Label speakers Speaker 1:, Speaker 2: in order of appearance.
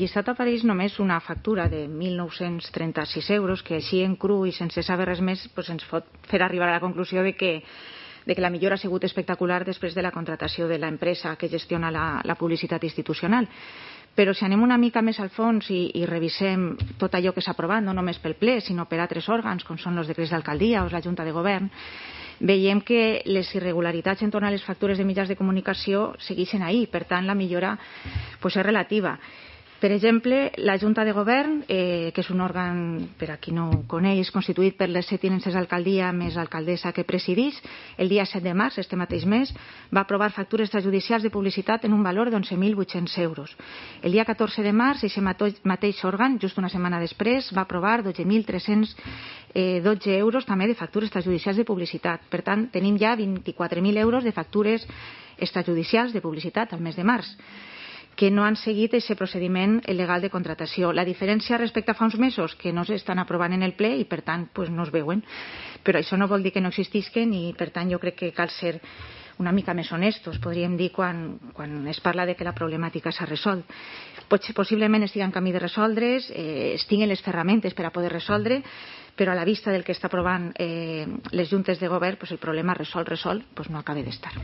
Speaker 1: llistat apareix només una factura de 1.936 euros, que així en cru i sense saber res més ens pot fer arribar a la conclusió de que la millora ha sigut espectacular després de la contratació de l'empresa que gestiona la publicitat institucional. Però si anem una mica més al fons i revisem tot allò que s'ha aprovat, no només pel ple, sinó per altres òrgans, com són els decrets d'alcaldia o la Junta de Govern, veiem que les irregularitats entorn a les factures de mitjans de comunicació segueixen ahí. Per tant, la millora és relativa. Per exemple, la Junta de Govern, que és un òrgan, per a qui no ho coneix, constituït per les 7 tinences d'alcaldia més l'alcaldessa que presideix, el dia 7 de març, este mateix mes, va aprovar factures extrajudicials de publicitat en un valor d'11.800 euros. El dia 14 de març, aquest mateix òrgan, just una setmana després, va aprovar 12.312 euros també de factures extrajudicials de publicitat. Per tant, tenim ja 24.000 euros de factures extrajudicials de publicitat al mes de març, que no han seguit aquest procediment legal de contratació. La diferència respecte a fa uns mesos, que no s'estan aprovant en el ple i, per tant, no es veuen. Però això no vol dir que no existisquen i, per tant, jo crec que cal ser una mica més honestos, podríem dir, quan es parla de que la problemàtica s'ha resolt. Possiblement estigui en camí de resoldre's, es tinguin les ferramentes per a poder resoldre, però a la vista del que està aprovant les juntes de govern, el problema resolt no acaba d'estar.